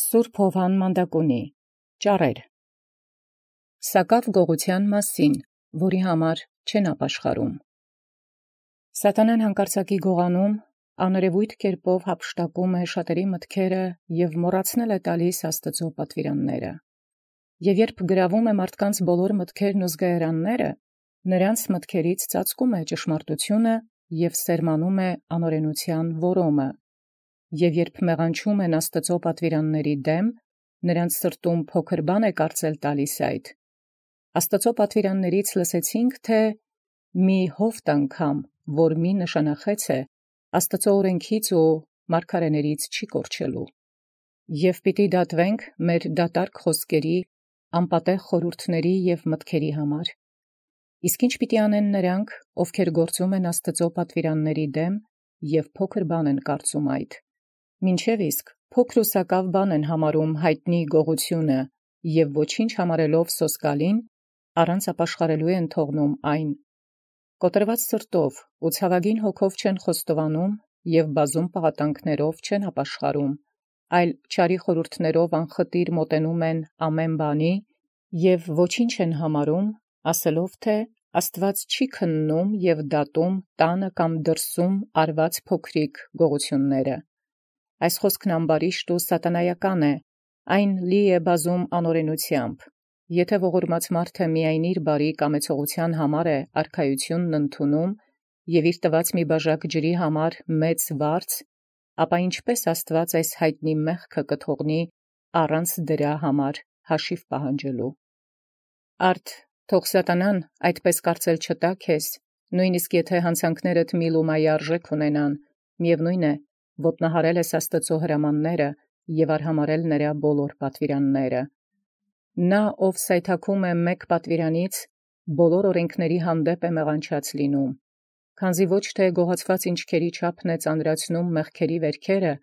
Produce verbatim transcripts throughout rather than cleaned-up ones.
Սուրբ Հովհան Մանդակունի ճառեր Սակավ գողութեան մասին, որի համար չեն ապաշխարում։ Սատանան հանկարծակի գողանում, աներևույթ կերպով հափշտակում է շատերի մտքերը և մոռացնել է տալիս Աստծո պատվիրանները։ Եվ երբ գրավում է մարդկանց բոլոր մտքերն ու զգայարանները, նրանց մտքերից ծածկում է ճշմարտությունը և սերմանում է անօրենության որոմը։ Եվ երբ մեղանչում են Աստծո պատվիրանների դեմ, նրանց սրտում փոքր բան է կարծել տալիս այդ։ Աստծո պատվիրաններից լսեցինք, թե մի հովտ անգամ, որ մի նշանախեց է, Աստծո օրենքից ու մարգարեներից չի կորչելու։ Եվ պիտի դատվենք մեր դատարկ խոսքերի, անպատեղ խորհուրդների և մտքերի համար։ Իսկ ինչ պիտի անեն նրանք, ովքեր գործում են Աստծո պատվիրանների դեմ և փոքր բան են կարծում այդ։ Մինչև իսկ փոքր ու սակավ բան են համարում հայտնի գողությունը և ոչինչ համարելով սոսկալին, առանց ապաշխարելու են թողնում այն։ Կոտրված սրտով ու ցավագին հոգով չեն խոստովանում և բազում պաղատանքներով չեն ապաշխարում, այլ չարի խորհուրդներով անխտիր մոտենում են ամեն բանի և ոչինչ են համարում, ասելով թե Աստված չի քննում և դատում տանը կամ դրսում արված փոքրիկ գողությունները։ Այս խոսքն ամբարիշտ ու սատանայական է, այն լի է բազում անօրենությամբ։ Եթե ողորմած մարդը միայն իր բարի կամեցողության համար է արքայությունն ընդունում և իր տված մի բաժակ ջրի համար մեծ վարձ, ապա ինչպե՞ս Աստված այս հայտնի մեղքը կթողնի առանց դրա համար հաշիվ պահանջելու։ Արդ թող սատանան այդպես կարծել չտա քեզ, նույնիսկ եթե հանցանքներդ մի լումայի արժեք ունենան, միևնույն է, ոտնահարել ես Աստծո հրամանները և արհամարհել նրա բոլոր պատվիրանները։ Նա, ով սայթաքում է մեկ պատվիրանից, բոլոր օրենքների հանդեպ է մեղանչած լինում, քանզի ոչ թե գողացված ինչքերի չափն է ծանրացնում մեղքերի վերքերը,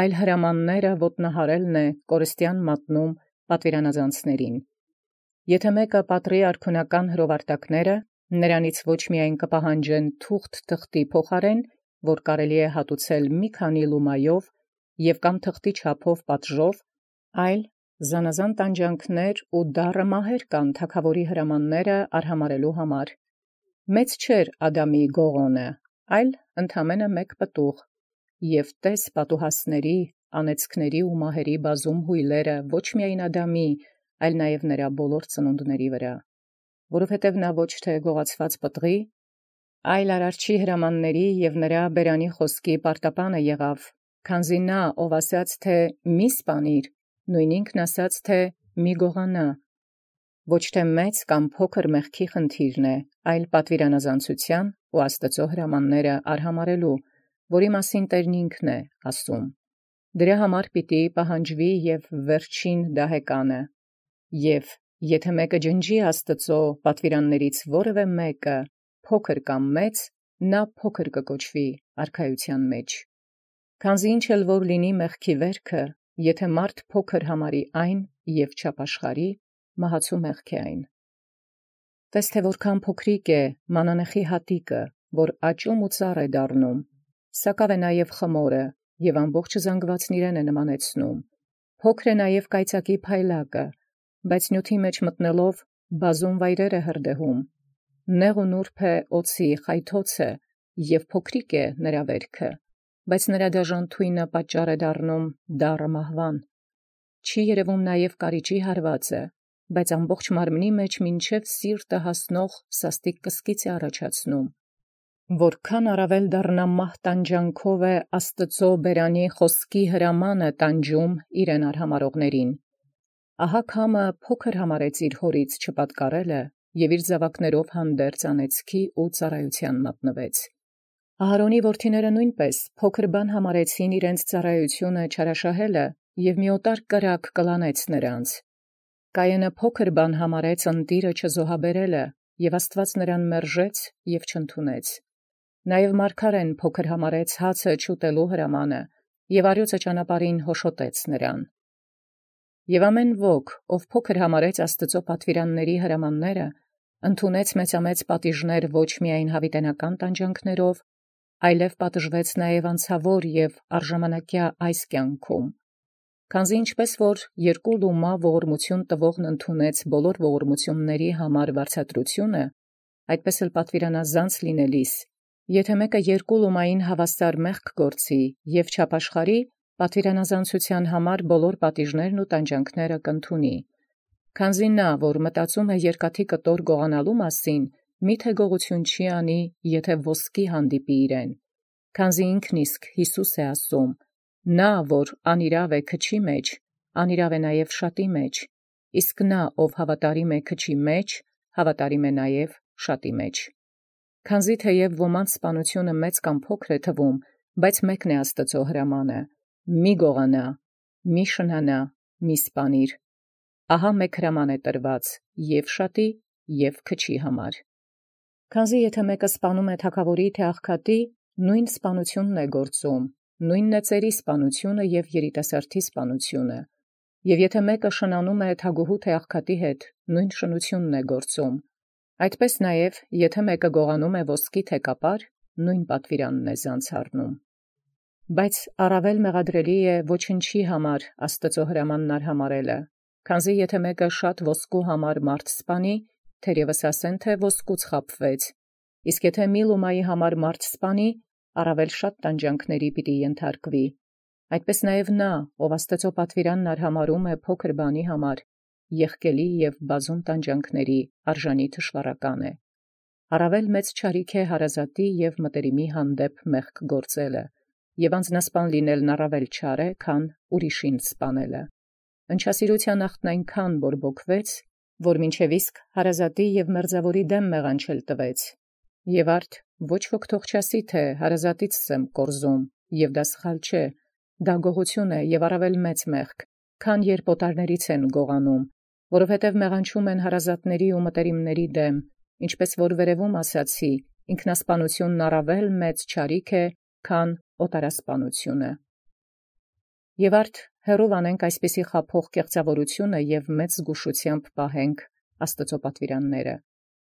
այլ հրամանները ոտնահարելն է կորստյան մատնում պատվիրանազանցներին։ Եթե մեկը պատռի արքունական հրովարտակները, նրանից ոչ միայն կպահանջեն թուղթ թղթի փոխարեն, որ կարելի է հատուցել մի քանի լումայով և կամ թղթի չափով պատժով, այլ զանազան տանջանքներ ու դառը մահեր կան թագավորի հրամանները արհամարհելու համար։ Մեծ չէր Ադամի գողոնը, այլ ընդամենը մեկ պտուղ, և տես պատուհասների, անեծքների ու մահերի բազում հույլերը ոչ միայն Ադամի, այլ նաև նրա բոլոր ծնունդների վրա, որովհետև նա ոչ թե գողացված պտղի, այլ արարչի հրամանների և նրա բերանի խոսքի պարտապանը եղավ, քանզի նա, ով ասաց, թե մի սպանիր, նույն ինքն ասաց, թե մի գողանա, ոչ թե մեծ կամ փոքր մեղքի խնդիրն է, այլ պատվիրանազանցության ու Աստծո հրամանները արհամարհելու, որի մասին Տերն ինքն է ասում. դրա համար պիտի պահանջվի և վերջին դահեկանը, և եթե մեկը ջնջի Աստծո պատվիրաններից որևէ մեկը, փոքր կամ մեծ, նա փոքր կկոչվի արքայության մեջ։ Քանզի ինչ էլ որ լինի մեղքի վերքը, եթե մարդ փոքր համարի այն և չապաշխարի, մահացու մեղք է այն։ Տես թե որքան փոքրիկ է մանանեխի հատիկը, որ աճում ու ծառ է դառնում, սակավ է նաև խմորը և ամբողջ զանգվածն իրեն է նմանեցնում։ Փոքր է նաև կայծակի փայլակը, բայց նյութի մեջ մտնելով բազում վայրեր է հրդեհում։ Նեղ ու նուրբ է օձի խայթոցը և փոքրիկ է նրա վերքը, բայց նրա դաժան թույնը պատճառ է դառնում դառը մահվան։ Չի երևում նաև կարիճի հարվածը, բայց ամբողջ մարմնի մեջ մինչև սիրտը հասնող սաստիկ կսկիծ է առաջացնում։ Որքան առավել դառնա մահ տանջանքով է Աստծո բերանի խոսքի հրամանը տանջում իրեն արհամարհողներին։ Ահա քամը փոքր համարեց իր հորից չպատկառելը և իր զավակներով հանդերձ անեծքի ու ծառայության մատնվեց։ Ահարոնի որդիները նույնպես փոքր բան համարեցին իրենց ծառայությունը չարաշահելը և մի օտար կրակ կլանեց նրանց։ Կայենը փոքր բան համարեց ընտիրը չզոհաբերելը, և Աստված նրան մերժեց և չընդունեց։ Նաև մարգարեն փոքր համարեց հացը չուտելու հրամանը և առյուծը ճանապարհին հոշոտեց նրան։ Եվ ամեն ոք, ով փոքր համարեց Աստծո պատվիրանների հրամանները, ընդունեց մեծամեծ պատիժներ ոչ միայն յաւիտենական տանջանքներով, այլև պատժվեց նաև անցավոր և առժամանակյա այս կյանքում, Քանզի ինչպես որ երկու լումա ողորմություն տվողն ընդունեց բոլոր ողորմությունների համար վարձատրությունը, այդպես էլ պատվիրանազանց լինելիս, եթե մեկը երկու լումային հավասար մեղք գործի եւ չապաշխարի, պատվիրանազանցության համար բոլոր պատիժներն ու տանջանքները կընդունի։ Քանզի նա, որ մտածում է երկաթի կտոր գողանալու մասին, միթե գողություն չի անի, եթե ոսկի հանդիպի իրեն։ Քանզի ինքն իսկ Յիսուս է ասում. նա, որ անիրաւ է քչի մեջ, անիրաւ է նաև շատի մեջ, իսկ նա, ով հավատարիմ է քչի մեջ, հավատարիմ է նաև շատի մեջ։ Քանզի թեև ոմանց սպանությունը մեծ կամ փոքր է թվում, բայց մեկն է Աստծո հրամանը. մի գողանա, մի շնանա, մի սպանիր։ Ահա մեկ հրաման է տրված և շատի, և քչի համար։ Քանզի եթե մեկը սպանում է թագավորի թե աղքատի, նույն սպանությունն է գործում, նույնն է ծերի սպանությունը և երիտասարդի սպանությունը, և եթե մեկը շնանում է թագուհու թե աղքատի հետ, նույն շնությունն է գործում, այդպես նաև եթե մեկը գողանում է ոսկի թե կապար, նույն պատվիրանն է զանց առնում։ Բայց առավել մեղադրելի է ոչնչի համար Աստծո հրամանն արհամարելը, քանզի եթե մեկը շատ ոսկու համար մարդ սպանի, թերևս ասեն, թե ոսկուց խաբվեց, իսկ եթե մի լումայի համար մարդ սպանի, առավել շատ տանջանքների պիտի ենթարկվի։ Այդպես նաև նա, ով Աստծո պատվիրանն արհամարում է փոքր բանի համար, եղկելի և բազում տանջանքների արժանի թշվառական է։ Առավել մեծ չարիք է հարազատի և մտերիմի հանդեպ մեղք գործելը, և անձնասպան լինելն առավել չար է, քան ուրիշին սպանելը։ Ընչասիրության ախտն այնքան բորբոքվեց, որ մինչև իսկ հարազատի և մերձավորի դեմ մեղանչել տվեց, և արդ ոչ ոք թող չասի, թե հարազատից եմ կորզում, և դա սխալ չէ, դա գողություն է և առավել մեծ մեղք, քան երբ օտարներից են գողանում, որովհետև մեղանչում են հարազատների ու մտերիմների դեմ, ինչպես որ վերևում ասացի, ինքնասպանությունն առավել մեծ չարիք է, քան օտարասպանությունը։ Եւ արդ հեռու անենք այսպիսի խաբող կեղծավորությունը և մեծ զգուշությամբ պահենք Աստծո պատվիրանները,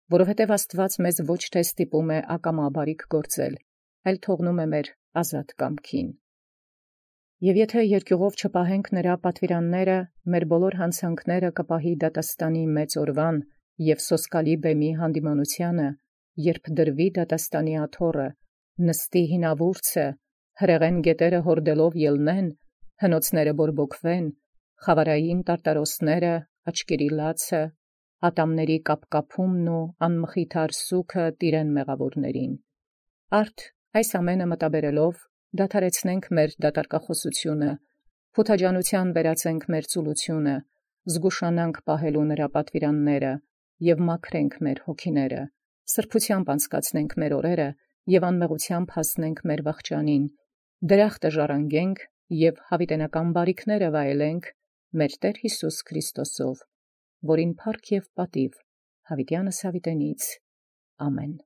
որովհետև Աստված մեզ ոչ թե ստիպում է ակամաբարիք գործել, այլ թողնում է մեր ազատ կամքին։ Եվ եթե երկյուղով չպահենք նրա պատվիրանները, մեր բոլոր հանցանքները կպահի դատաստանի մեծ օրվան և սոսկալի բեմի հանդիմանությանը, երբ դրվի դատաստանի աթոռը, նստի հինավուրցը, հրեղեն գետերը հորդելով ելնեն, հնոցները բորբոքվեն, խավարային տարտարոսները, աչկերի լացը, ատամների կապկապումն ու անմխիթար սուքը տիրեն մեղավորներին։ Արդ այս ամենը մտաբերելով դադարեցնենք մեր դատարկախոսությունը, փութաջանության վերածենք մեր ծուլությունը, զգուշանանք պահելու նրա պատվիրանները և մաքրենք մեր հոգիները, սրբությամբ անցկացնենք մեր օրերը և անմեղությամբ հասնենք մեր վախճանին, դրախտը ժառանգենք և հավիտենական բարիքները վայելենք մեր Տեր Հիսուս Քրիստոսով, որին փառք և պատիվ հավիտյանս հավիտենից։ Ամեն։